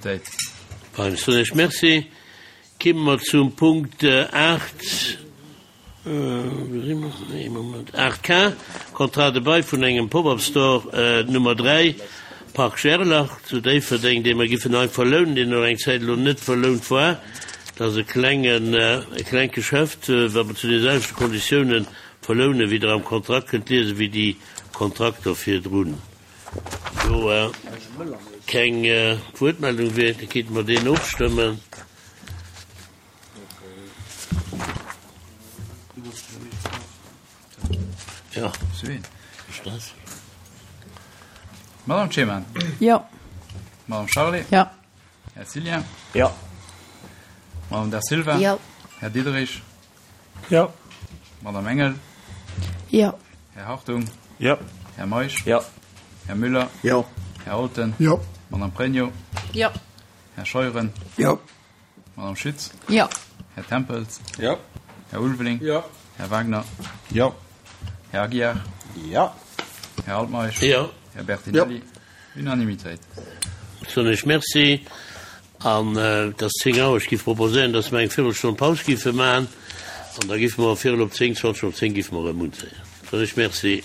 Déit. Fein, soen ech Merci. Kimme mer zum Punkt 8, wou si mer? Ee Moment, 8 K, Contrat de bail vun engem Pop-up Store Nummer 3, Parc Gerlach zu Déifferdeng, dee mer giffen hei verlounen, deen elo eng Zäit elo net verlount war. Dat ass e klengen, e klengt Geschäft, wat mer zu deene selwechte Konditiounen verlounen, wéi Der am Kontrakt kënnt liesen, wéi déi Kontrakter virdrun. Do keng Wuertmeldung wier, da kéinte mer deen ofstëmmen. Jo. Madame Clement. Jo. Madame Charlé. Jo. Här Cillien. Jo. Madame Da Silva. Jo. Här Diderich. Jo. Madame Engel. Jo. Här Hartung. Jo. Här Meisch. Jo. Här Müller. Jo. Här Alten. Jo. Madame Pregno. Jo. Här Scheuren. Jo. Madame Schütz. Jo. Här Tempels. Jo. Här Ulveling. Jo. Här Wagner. Jo. Här Aguiar. Jo. Här Altmeisch. Jo. Här Bertinelli. Unanimitéit. Soen ech Merci. An et ass 10 Auer. Ech géif proposéieren, dass mer eng Virelstonn Paus géife maachen. An da géife mer virel op 10, 20 op 10 géife mer erëm unzéien. Soen ech Merci.